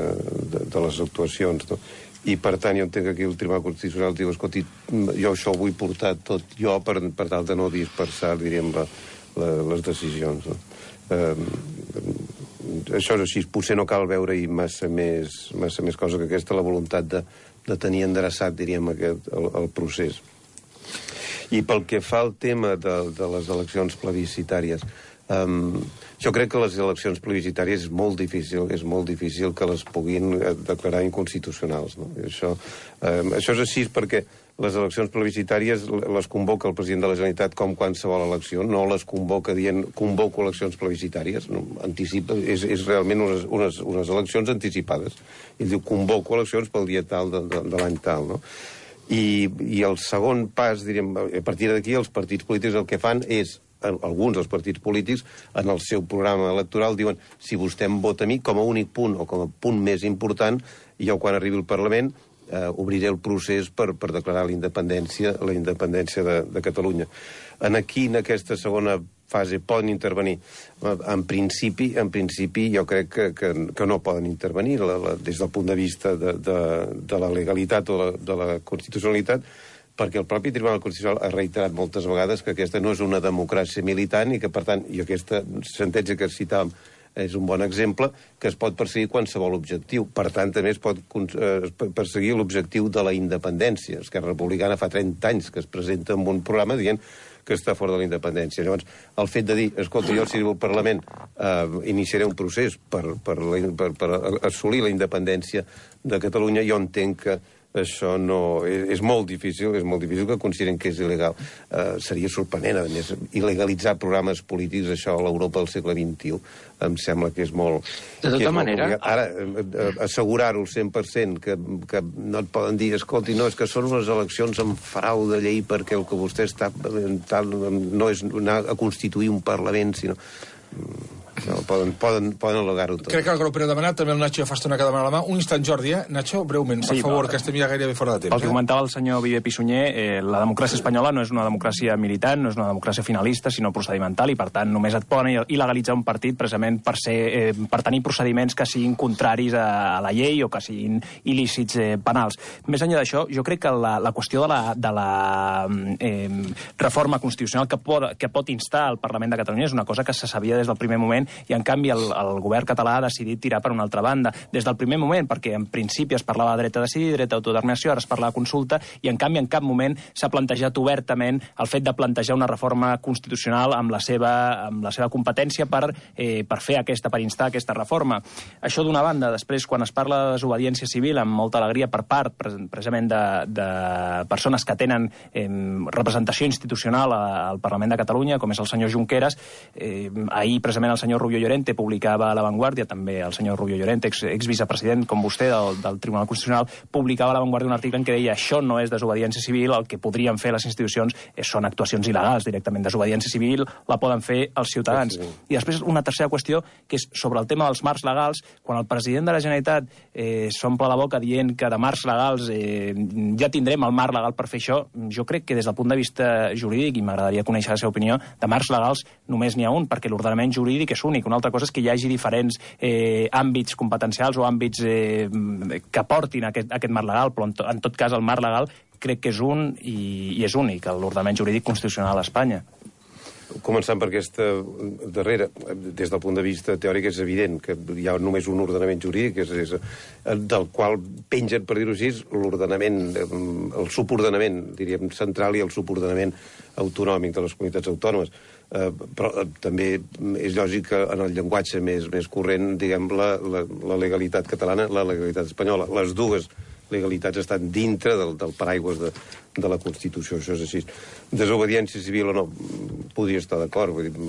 de, de les actuacions, no? I, per tant, jo entenc que aquí el Tribunal Constitucional diu, escolti, jo això ho vull portar tot jo per, per tal de no dispersar, diríem, la, la, les decisions. No? Eh, això és així, potser no cal veure-hi massa més, massa més cosa que aquesta, la voluntat de, de tenir endreçat, diríem, aquest, el, el procés. I pel que fa al tema de, de les eleccions plebiscitàries, Um, jo crec que les eleccions plebiscitàries és molt difícil, és molt difícil que les puguin declarar inconstitucionals, no? I això, um, això és així perquè les eleccions plebiscitàries les convoca el president de la Generalitat com qualsevol elecció, no les convoca dient convoco eleccions plebiscitàries, no, anticipa, és, és realment unes, unes, unes eleccions anticipades. Ell diu convoco eleccions pel dia tal de, de, de l'any tal, no? I, i el segon pas, diríem, a partir d'aquí els partits polítics el que fan és, alguns dels partits polítics, en el seu programa electoral diuen, si vostè em vota a mi, com a únic punt o com a punt més important, jo quan arribi al Parlament eh, obriré el procés per, per declarar la independència, la independència de, de Catalunya. En aquí, en aquesta segona fase, poden intervenir. En principi, en principi jo crec que, que, que no poden intervenir la, la, des del punt de vista de, de, de la legalitat o de la, de la constitucionalitat, perquè el propi Tribunal Constitucional ha reiterat moltes vegades que aquesta no és una democràcia militant i que, per tant, i aquesta sentència que citàvem és un bon exemple, que es pot perseguir qualsevol objectiu. Per tant, també es pot eh, perseguir l'objectiu de la independència. Esquerra Republicana fa trenta anys que es presenta amb un programa dient que està fora de la independència. Llavors, el fet de dir, escolta, jo si al Parlament eh, iniciaré un procés per, per, la, per, per assolir la independència de Catalunya, jo entenc que això no... És, és molt difícil, és molt difícil que consideren que és il·legal. Uh, seria sorprenent, a més, il·legalitzar programes polítics, això a l'Europa del segle vint-i-u, em sembla que és molt... De tota manera... Molt Ara, uh, assegurar-ho al cent per cent, que, que no et poden dir, escolti, no, és que són unes eleccions amb frau de llei perquè el que vostè està... Tal, no és anar a constituir un Parlament, sinó... No, poden, poden, poden al·legar-ho tot. Crec que el grup era demanat, també el Nacho ja fa estona que demana la mà. Un instant, Jordi, eh? Nacho, breument, per sí, favor, però, que estem ja gairebé fora de temps. El que eh? comentava el senyor Viver Pissunyer, eh, la democràcia espanyola no és una democràcia militant, no és una democràcia finalista, sinó procedimental, i per tant només et poden il·legalitzar un partit precisament per, ser, eh, per tenir procediments que siguin contraris a, a la llei o que siguin il·lícits eh, penals. Més enllà d'això, jo crec que la, la qüestió de la, de la eh, reforma constitucional que pot, que pot instar el Parlament de Catalunya és una cosa que se sabia des del primer moment, i en canvi el el govern català ha decidit tirar per una altra banda. Des del primer moment, perquè en principi es parlava de dret a decidir, dret a autodeterminació, ara es parla de consulta, i en canvi en cap moment s'ha plantejat obertament el fet de plantejar una reforma constitucional amb la seva, amb la seva competència per, eh, per fer aquesta, per instar aquesta reforma. Això d'una banda. Després, quan es parla de desobediència civil, amb molta alegria per part, precisament, de, de persones que tenen eh, representació institucional al Parlament de Catalunya, com és el senyor Junqueras, eh, ahir, precisament, el senyor Rubio Llorente publicava a La Vanguardia, també el senyor Rubio Llorente, ex, ex-vicepresident, com vostè, del, del Tribunal Constitucional, publicava a La Vanguardia un article en què deia això no és desobediència civil, el que podrien fer les institucions és, són actuacions il·legals directament. Desobediència civil la poden fer els ciutadans. Sí, sí. I després una tercera qüestió, que és sobre el tema dels marcs legals. Quan el president de la Generalitat eh, s'omple la boca dient que de marcs legals eh, ja tindrem el marc legal per fer això, jo crec que des del punt de vista jurídic, i m'agradaria conèixer la seva opinió, de marcs legals només n'hi ha un, perquè l'ordenament jurídic és únic. Una altra cosa és que hi hagi diferents eh, àmbits competencials o àmbits eh, que portin aquest, aquest marc legal, però en, to, en tot cas el marc legal crec que és un i, i és únic, l'ordenament jurídic constitucional a Espanya. Començant per aquesta darrera, des del punt de vista teòric és evident que hi ha només un ordenament jurídic, és, és, del qual pengen, per dir-ho així, l'ordenament, el subordenament, diríem, central i el subordenament autonòmic de les comunitats autònomes. Eh, però eh, també és lògic que en el llenguatge més, més corrent, diguem, la, la, la legalitat catalana, la legalitat espanyola, les dues legalitats estan dintre del, del paraigües de, de la Constitució, això és així. Desobediència civil o no, podria estar d'acord. Vull dir,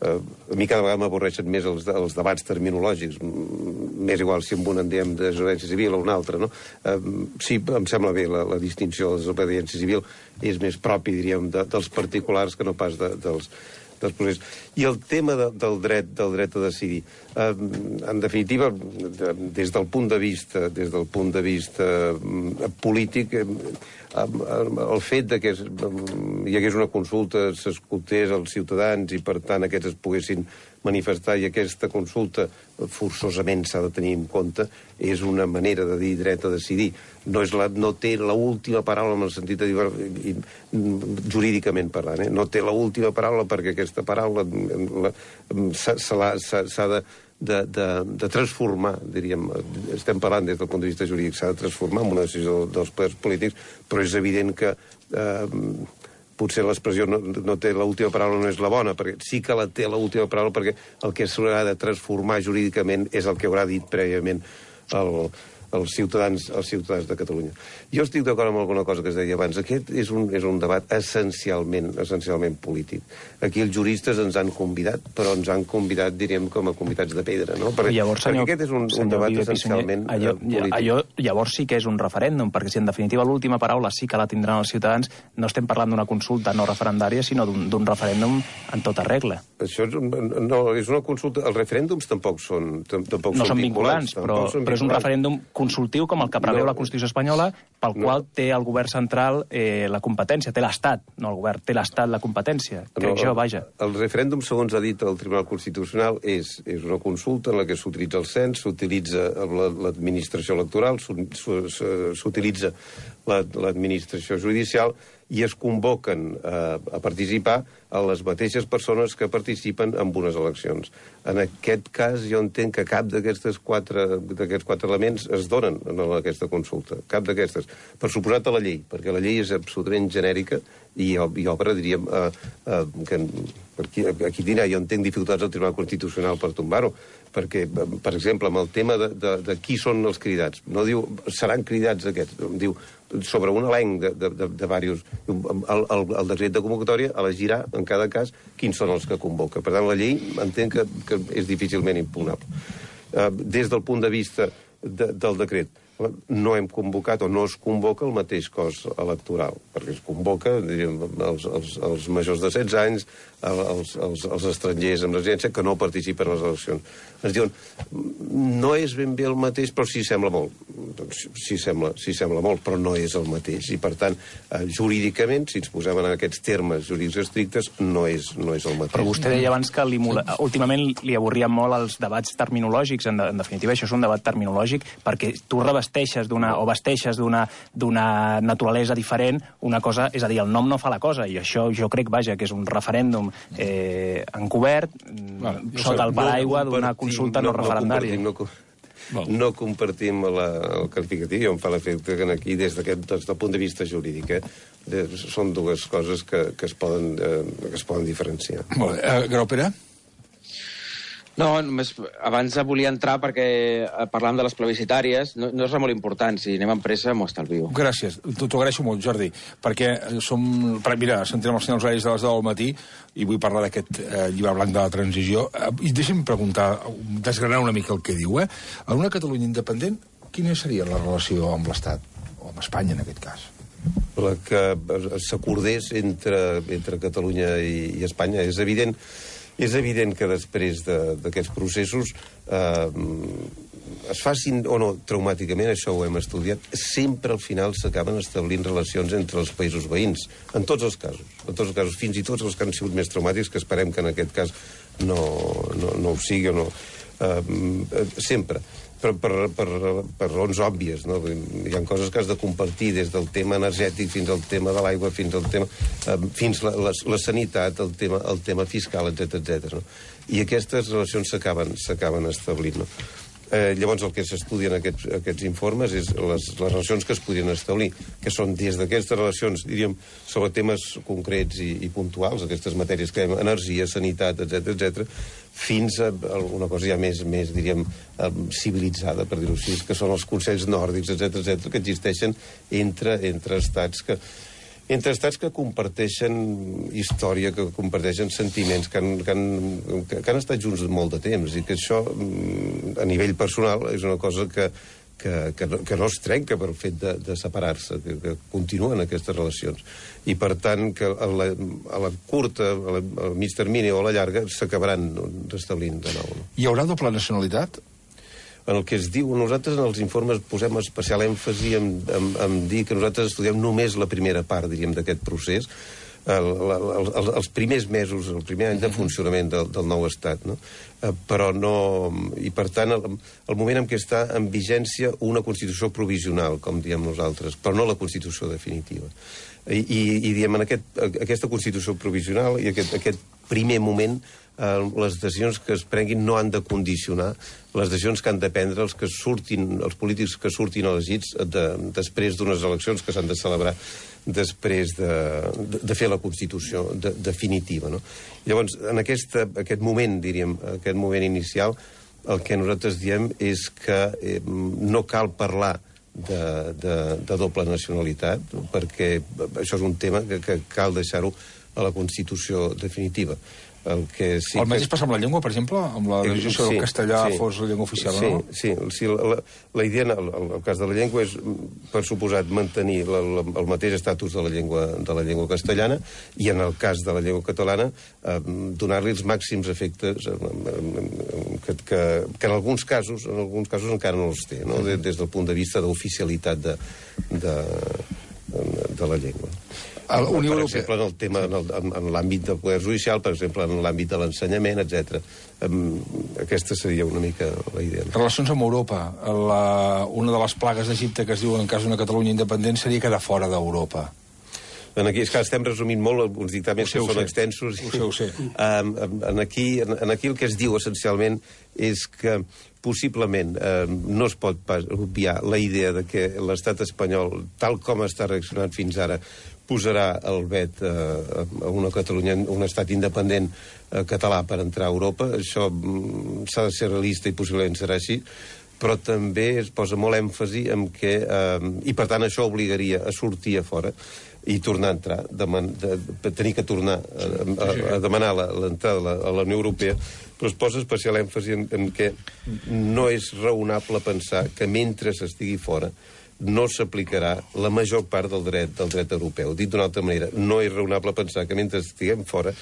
eh, a mi cada vegada m'avorreixen més els, els debats terminològics. M'és igual si amb un en diem desobediència civil o un altre, no? Eh, sí, em sembla bé la, la distinció de desobediència civil, és més propi, diríem, de, dels particulars que no pas de, dels, dels processos. I el tema de, del dret del dret a decidir. Eh, en definitiva, de, des del punt de vista des del punt de vista eh, polític, eh, el fet de que es, hi hagués una consulta, s'escoltés als ciutadans i, per tant, aquests es poguessin manifestar i aquesta consulta forçosament s'ha de tenir en compte, és una manera de dir dret a decidir. No, és la, no té l'última paraula en el sentit de dir, jurídicament parlant, eh? No té l'última paraula perquè aquesta paraula s'ha de De, de, de transformar, diríem, estem parlant des del punt de vista jurídic, s'ha de transformar en una decisió dels poders polítics, però és evident que eh, potser l'expressió no, no té l'última paraula, no és la bona, perquè sí que la té l'última paraula, perquè el que s'haurà de transformar jurídicament és el que haurà dit prèviament el, els ciutadans, els ciutadans de Catalunya. Jo estic d'acord amb alguna cosa que es deia abans. Aquest és un, és un debat essencialment, essencialment polític. Aquí els juristes ens han convidat, però ens han convidat, diríem, com a convidats de pedra, no? Perquè, llavors, senyor, perquè aquest és un, un debat Viver essencialment Pissunyer, allò, polític. Allò, llavors sí que és un referèndum, perquè si en definitiva l'última paraula sí que la tindran els ciutadans, no estem parlant d'una consulta no referendària, sinó d'un referèndum en tota regla. Això és, un, no, és una consulta... Els referèndums tampoc són, tampoc no són són vinculants, vinculants però, són però és un referèndum consultiu com el que preveu No. la Constitució espanyola, pel No. qual té el govern central eh, la competència, té l'Estat, no el govern, té l'Estat la competència, crec No, jo, vaja. El referèndum, segons ha dit el Tribunal Constitucional, és, és una consulta en la que s'utilitza el cens, s'utilitza la- l'administració electoral, s'u- s'u- s'utilitza la- l'administració judicial i es convoquen eh, a participar a les mateixes persones que participen en unes eleccions. En aquest cas, jo entenc que cap d'aquestes quatre, d'aquests quatre elements es donen en aquesta consulta. Cap d'aquestes. Per suposat a la llei, perquè la llei és absolutament genèrica i, i obre, diríem, eh, eh, que per aquí, aquí dirà, jo entenc dificultats al Tribunal Constitucional per tombar-ho, perquè, per exemple, amb el tema de, de, de qui són els cridats, no diu seran cridats aquests, diu sobre un elenc de, de, de, de diversos... El, el, el decret de convocatòria elegirà, en cada cas, quins són els que convoca. Per tant, la llei entenc que, que és difícilment impugnable. Uh, des del punt de vista de, del decret, no hem convocat o no es convoca el mateix cos electoral, perquè es convoca, diríem, els, els, els majors de setze anys, els, els, els estrangers amb residència que no participen a les eleccions. Ens diuen, no és ben bé el mateix, però sí sembla molt. Doncs sí sembla, sí sembla molt, però no és el mateix. I, per tant, eh, jurídicament, si ens posem en aquests termes jurídics estrictes, no és, no és el mateix. Però vostè deia abans que li, últimament li avorrien molt els debats terminològics, en, de, en definitiva això és un debat terminològic, perquè tu revesteixes d'una o vesteixes d'una d'una naturalesa diferent una cosa, és a dir, el nom no fa la cosa, i això jo crec, vaja, que és un referèndum eh, encobert, Bueno, sota el paraigua no d'una consulta no, no referendària. No, no, no compartim la, el qualificatiu, i em fa l'efecte que aquí, des d'aquest des del punt de vista jurídic, eh, de, són dues coses que, que, es poden, eh, que es poden diferenciar. Molt bé. Uh, Graupera? No, només abans volia entrar perquè eh, parlàvem de les plebiscitàries. No, no és res molt important, si anem amb pressa m'ho estalvio. Gràcies, t'ho agraeixo molt, Jordi, perquè som... Mira, sentirem els senyors horaris de les deu del matí i vull parlar d'aquest eh, llibre blanc de la transició. Eh, I deixa'm preguntar, desgranar una mica el que diu, eh? En una Catalunya independent, quina seria la relació amb l'Estat? O amb Espanya, en aquest cas? La que s'acordés entre, entre Catalunya i, i Espanya. És evident, és evident que després d'aquests de, processos eh, es facin o no traumàticament, això ho hem estudiat, sempre al final s'acaben establint relacions entre els països veïns, en tots els casos, en tots els casos, fins i tots els que han sigut més traumàtics, que esperem que en aquest cas no, no, no ho sigui o no. Eh, sempre. Per, per, per, per raons òbvies, no? Hi ha coses que has de compartir, des del tema energètic fins al tema de l'aigua, fins al tema eh, fins la, la, la sanitat, el tema, el tema fiscal, etcètera, etcètera. No? I aquestes relacions s'acaben s'acaben establint. No? Eh, llavors, el que s'estudia en aquests, aquests informes és les, les relacions que es podrien establir, que són des d'aquestes relacions, diríem, sobre temes concrets i, i puntuals, aquestes matèries que hem, energia, sanitat, etcètera, etcètera, fins a una cosa ja més, més diríem, civilitzada, per dir-ho així, que són els consells nòrdics, etcètera, etcètera, que existeixen entre, entre estats que entre estats que comparteixen història, que comparteixen sentiments, que han, que han, que, que han estat junts molt de temps, i que això, a nivell personal, és una cosa que, que, que, no, que no es trenca per fet de, de separar-se, que, que continuen aquestes relacions. I, per tant, que a la, a la curta, a la, al mig termini o a la llarga, s'acabaran restablint de nou. No? Hi haurà doble nacionalitat? En el que es diu, nosaltres en els informes posem especial èmfasi en, en, en dir que nosaltres estudiem només la primera part, diríem, d'aquest procés, el, el, el, els primers mesos, el primer any de funcionament del, del nou estat, no? Eh, però no... I, per tant, el, el moment en què està en vigència una Constitució provisional, com diem nosaltres, però no la Constitució definitiva. I, i, i diem, en aquest, aquesta Constitució provisional i aquest, aquest primer moment, eh, les decisions que es prenguin no han de condicionar les decisions que han de prendre els que surtin, els polítics que surtin elegits de, després d'unes eleccions que s'han de celebrar després de, de, de fer la Constitució de, definitiva. No? Llavors, en aquesta, aquest moment, diríem, aquest moment inicial, el que nosaltres diem és que eh, no cal parlar de, de, de doble nacionalitat, perquè això és un tema que, que cal deixar-ho a la Constitució definitiva. El, que sí el mateix que... passa amb la llengua, per exemple? Amb la decisió sí, sobre el castellà sí, fos la llengua oficial, sí, no? Sí, sí. La, la idea, en el, el cas de la llengua, és, per suposat, mantenir la, la, el mateix estatus de la llengua de la llengua castellana i, en el cas de la llengua catalana, eh, donar-li els màxims efectes eh, que, que, que en alguns casos en alguns casos encara no els té, no? Des, des del punt de vista d'oficialitat de, de, de la llengua. El, per Unió exemple, en el tema, en, el, en l'àmbit del poder judicial, per exemple, en l'àmbit de l'ensenyament, etcètera. Um, aquesta seria una mica la idea. Relacions amb Europa. La, una de les plagues d'Egipte que es diu en cas d'una Catalunya independent seria quedar fora d'Europa. En aquí, és que estem resumint molt uns dictàmens que són sé. extensos. Ho sé, ho sé. Um, en, aquí, en, en aquí el que es diu essencialment és que possiblement eh, no es pot pas obviar la idea de que l'estat espanyol, tal com està reaccionant fins ara, posarà el vet eh, a una Catalunya, un estat independent eh, català per entrar a Europa. Això mm, s'ha de ser realista i possiblement serà així, però també es posa molt èmfasi en que, eh, i per tant això obligaria a sortir a fora i tornar a entrar, deman, de, de, tenir que tornar a, a, a demanar l'entrada a la, a la Unió Europea, però es posa especial èmfasi en, en que no és raonable pensar que mentre s'estigui fora no s'aplicarà la major part del dret del dret europeu. Dit d'una altra manera, no és raonable pensar que mentre estiguem fora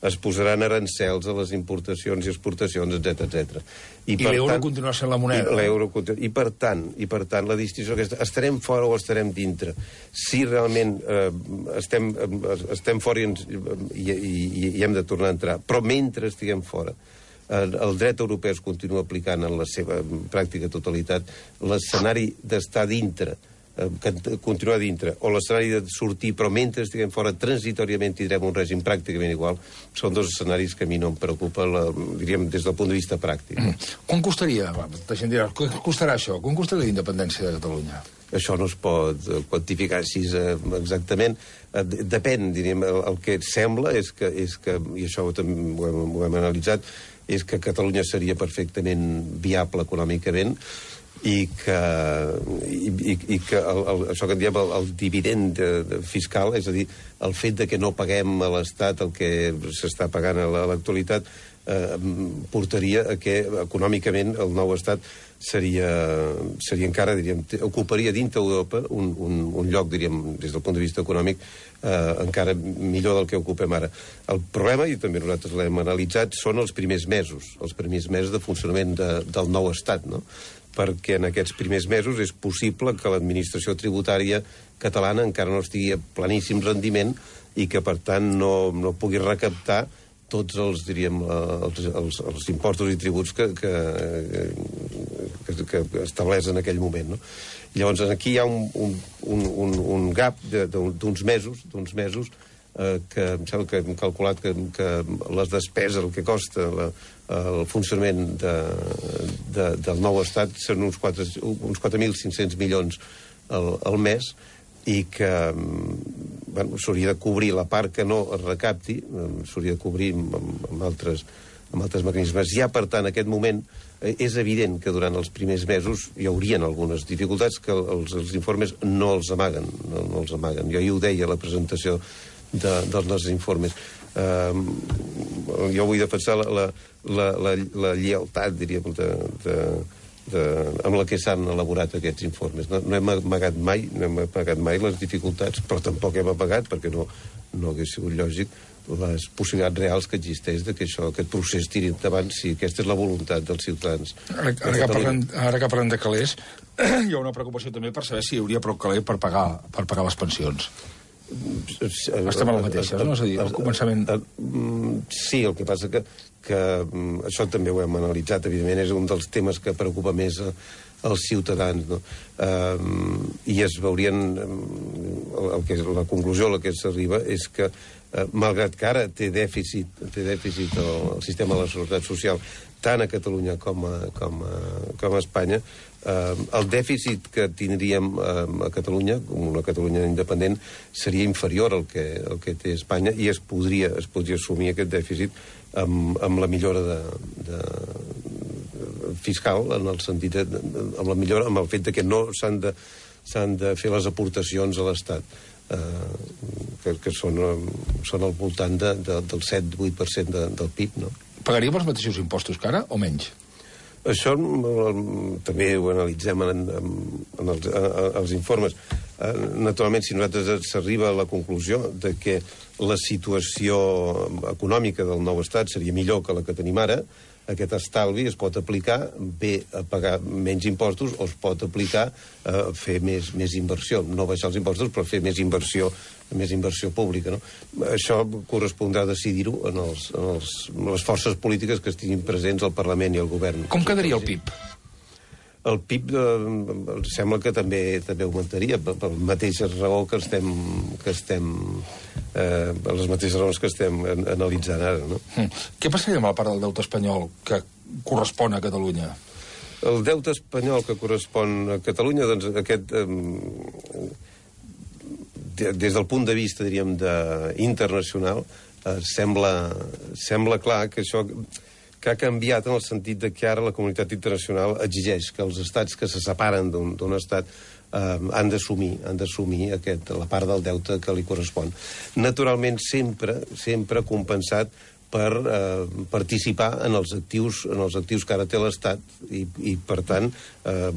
es posaran arancels a les importacions i exportacions, etcètera, etcètera. I, I l'euro continuarà sent la moneda. I, l'euro, I, per tant, I per tant, la distinció que estarem fora o estarem dintre. Si realment eh, estem, eh, estem fora i, ens, i, i, i hem de tornar a entrar, però mentre estiguem fora, eh, el dret europeu es continua aplicant en la seva pràctica totalitat, l'escenari d'estar dintre, que continuar dintre, o l'escenari de sortir, però mentre estiguem fora, transitoriament tindrem un règim pràcticament igual, són dos escenaris que a mi no em preocupa, la, diríem, des del punt de vista pràctic. Mm. Quan costaria, la gent dirà, quan costarà això? Quan costarà la independència de Catalunya? Això no es pot quantificar així exactament. Depèn, diríem, el, el que sembla és que, és que i això ho hem, ho hem, ho hem analitzat, és que Catalunya seria perfectament viable econòmicament, i que, i, i, i que el, el, això que en diem el, el dividend de, de fiscal, és a dir, el fet de que no paguem a l'Estat el que s'està pagant a l'actualitat, eh, portaria a que econòmicament el nou Estat seria, seria encara, diríem, ocuparia dintre d'Europa un, un, un lloc, diríem, des del punt de vista econòmic, eh, encara millor del que ocupem ara. El problema, i també nosaltres l'hem analitzat, són els primers mesos, els primers mesos de funcionament de, del nou Estat, no? Perquè en aquests primers mesos és possible que l'administració tributària catalana encara no estigui a planíssim rendiment i que, per tant, no, no pugui recaptar tots els, diríem, els, els, els impostos i tributs que, que, que, que estableix en aquell moment, no? Llavors, aquí hi ha un, un, un, un gap d'uns mesos, d'uns mesos eh, que em sembla que hem calculat que, que les despeses, el que costa la, el funcionament de, de, del nou estat són uns quatre mil cinc-cents milions al, al mes i que bueno, s'hauria de cobrir la part que no es recapti, s'hauria de cobrir amb, amb, altres, amb altres mecanismes. Ja, per tant, en aquest moment és evident que durant els primers mesos hi haurien algunes dificultats que els, els informes no els amaguen, no, no els amaguen. Jo hi ho deia a la presentació de, dels nostres informes. Uh, jo vull defensar la, la, la, la, la lleialtat, diríem, de, de, de, amb la que s'han elaborat aquests informes. No, no hem amagat mai, no hem amagat mai les dificultats, però tampoc hem amagat, perquè no, no hagués sigut lògic, les possibilitats reals que existeix de que això, aquest procés tiri endavant si aquesta és la voluntat dels ciutadans. Ara, ara, que, parlem, ara que parlem de calés, hi ha una preocupació també per saber si hi hauria prou caler per pagar, per pagar les pensions. Estem a la mateixa, no? És a dir, al començament... Sí, el que passa que, que això també ho hem analitzat, evidentment, és un dels temes que preocupa més als ciutadans, no? Uh, I es veurien... El, el que, la conclusió a la que s'arriba és que, uh, malgrat que ara té dèficit, té dèficit el, el sistema de la seguretat social, tant a Catalunya com a, com a, com a Espanya, Uh, el dèficit que tindríem uh, a Catalunya, com una Catalunya independent, seria inferior al que, al que té Espanya i es podria, es podria assumir aquest dèficit amb, amb la millora de, de, fiscal, en el sentit de, amb la millora, amb el fet de que no s'han de, s'han de fer les aportacions a l'Estat, uh, que, que són, són al voltant de, de, del set a vuit per cent de, del P I B, no? Pagaríem els mateixos impostos que ara o menys? Això també ho analitzem en, en, en, els, en els informes. Naturalment, si nosaltres s'arriba a la conclusió de que la situació econòmica del nou estat seria millor que la que tenim ara, aquest estalvi es pot aplicar bé a pagar menys impostos o es pot aplicar a fer més, més inversió. No baixar els impostos, però fer més inversió més inversió pública. No? Això correspondrà decidir-ho en, els, en, els, en les forces polítiques que estiguin presents al Parlament i al govern. Com quedaria el P I B? El P I B eh, sembla que també també augmentaria, per, per la mateixa raó que estem, que estem eh, per les mateixes raons que estem en, analitzant ara. No? Mm. Què passaria amb la part del deute espanyol que correspon a Catalunya? El deute espanyol que correspon a Catalunya, doncs aquest... Eh, des del punt de vista, diríem, de, internacional, eh, sembla, sembla clar que això que ha canviat en el sentit de que ara la comunitat internacional exigeix que els estats que se separen d'un estat eh, han d'assumir han d'assumir aquest la part del deute que li correspon. Naturalment, sempre, sempre compensat per eh, participar en els actius en els actius que ara té l'Estat i, i per tant, eh,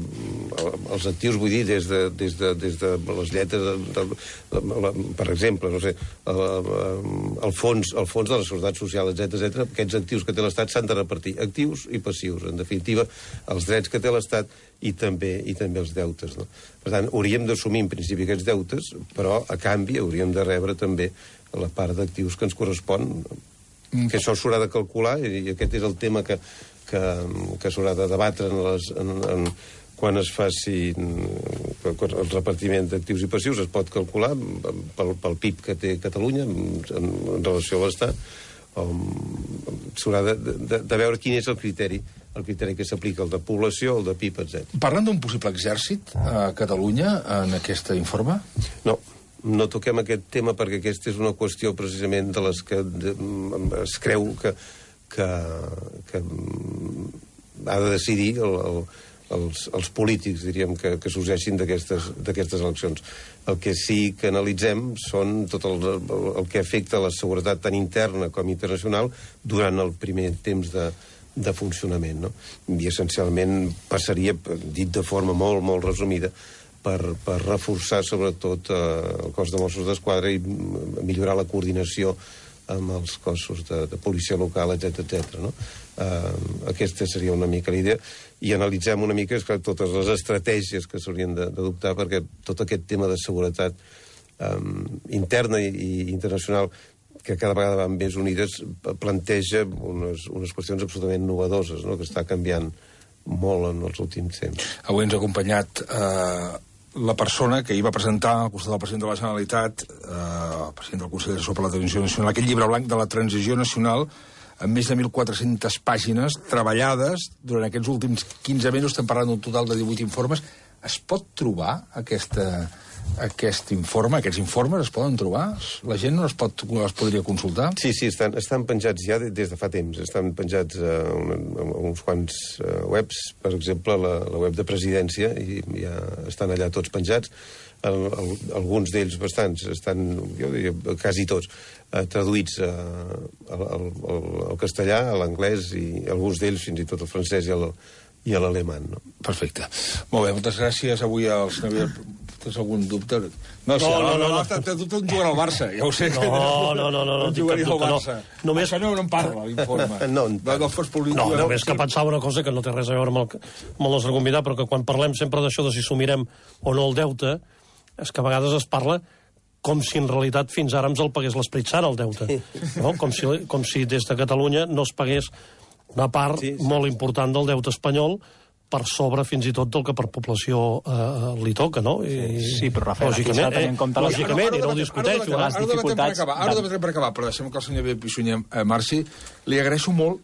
els actius, vull dir, des de, des de, des de les lletres, de, de, de, per exemple, no sé, el, el, fons, el fons de la Seguretat Social, etcètera, etcètera, aquests actius que té l'Estat s'han de repartir, actius i passius, en definitiva, els drets que té l'Estat i també, i també els deutes. No? Per tant, hauríem d'assumir en principi aquests deutes, però a canvi hauríem de rebre també la part d'actius que ens correspon, que això s'haurà de calcular, i aquest és el tema que, que, que s'haurà de debatre en les, en, en, quan es faci el repartiment d'actius i passius. Es pot calcular pel, pel P I B que té Catalunya en, en relació a l'Estat. S'haurà de, de, de veure quin és el criteri el criteri que s'aplica, el de població, el de P I B, etcètera. Parlen d'un possible exèrcit a Catalunya en aquest informe? No. No toquem aquest tema perquè aquesta és una qüestió precisament de les que de, es creu que, que, que ha de decidir el, el, els, els polítics, diríem, que, que sorgeixin d'aquestes eleccions. El que sí que analitzem són tot el, el que afecta la seguretat tant interna com internacional durant el primer temps de, de funcionament. No? I essencialment passaria, dit de forma molt, molt resumida, Per, per reforçar sobretot eh, el cos de Mossos d'Esquadra i millorar la coordinació amb els cossos de, de policia local, etcètera, etcètera. No? Eh, aquesta seria una mica la idea. I analitzem una mica esclar, totes les estratègies que s'haurien d'adoptar perquè tot aquest tema de seguretat eh, interna i, i internacional que cada vegada van més unides planteja unes, unes qüestions absolutament novedoses, no? Que està canviant molt en els últims temps. Avui ens ha acompanyat eh, la persona que hi va presentar al costat del president de la Generalitat, eh, el president del Consell Assessor per la Transició Nacional, aquest llibre blanc de la transició nacional, amb més de mil quatre-centes pàgines treballades durant aquests últims quinze mesos. Estem parlant d'un total de divuit informes. Es pot trobar aquesta, aquest informe, aquests informes es poden trobar? La gent no es, pot, es podria consultar? Sí, sí, estan, estan penjats ja des de fa temps. Estan penjats a, una, a uns quants uh, webs, per exemple, la, la web de Presidència, i ja estan allà tots penjats. El, el, alguns d'ells bastants estan, jo diria, quasi tots, uh, traduïts uh, al, al, al castellà, a l'anglès, i alguns d'ells fins i tot al francès i al i a l'alemany, no? Perfecte. Molt bé, moltes gràcies avui als... Tens algun dubte? No, si no, no, no, no. Té dubte en jugar al Barça, ja ho sé. No, no, no, no, no, tinc cap dubte, no. Només... Això no, no en parla, l'informe. No, no, no, polític, no, només que pensava una cosa que no té res a veure amb el, amb el nostre convidat, però que quan parlem sempre d'això de si assumirem o no el deute, és que a vegades es parla com si en realitat fins ara ens el pagués l'Esperit Sant, el deute. No? Com, si, com si des de Catalunya no es pagués una part sí, sí. molt important del deute espanyol per sobre fins i tot del que per població eh, li toca, no? I, sí, però Rafael, aquí s'ha de tenir en compte... Lògicament, i no ho discuteixo. Ara ho debatrem per acabar, ara ho debatrem per acabar, però deixem que el senyor Pissunyer eh, marxi. Li agraeixo molt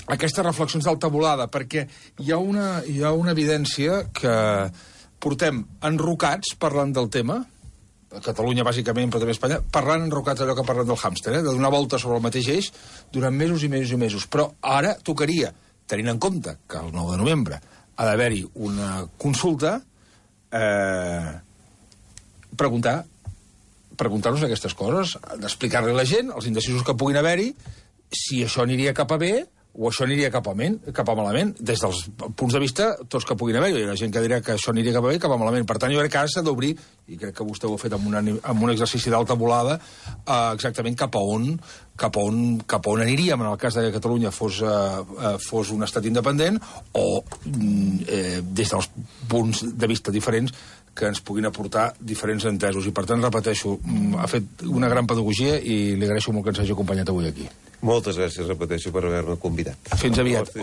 aquestes reflexions d'alta volada, perquè hi ha una, hi ha una evidència que portem enrocats parlant del tema, a Catalunya, bàsicament, però també a Espanya, parlant enrocats allò que parlen del hàmster, eh? De donar volta sobre el mateix eix durant mesos i mesos i mesos. Però ara tocaria, tenint en compte que el nou de novembre ha d'haver-hi una consulta, eh, preguntar preguntar-nos aquestes coses, d'explicar-li a la gent, els indecisos que puguin haver-hi, si això aniria cap a bé o això aniria cap a, ment, cap a malament, des dels punts de vista tots que puguin haver. Hi ha gent que dirà que això aniria cap a bé, cap a malament. Per tant, jo crec que ara s'ha d'obrir, i crec que vostè ho ha fet amb, una, amb un exercici d'alta volada, eh, exactament cap a on cap a on, cap a on aniríem en el cas que Catalunya fos, eh, fos un estat independent, o eh, des dels punts de vista diferents que ens puguin aportar diferents entesos. I per tant, repeteixo, ha fet una gran pedagogia i li agraeixo molt que ens hagi acompanyat avui aquí. Moltes gràcies, repeteixo, per haver-me convidat. Fins aviat.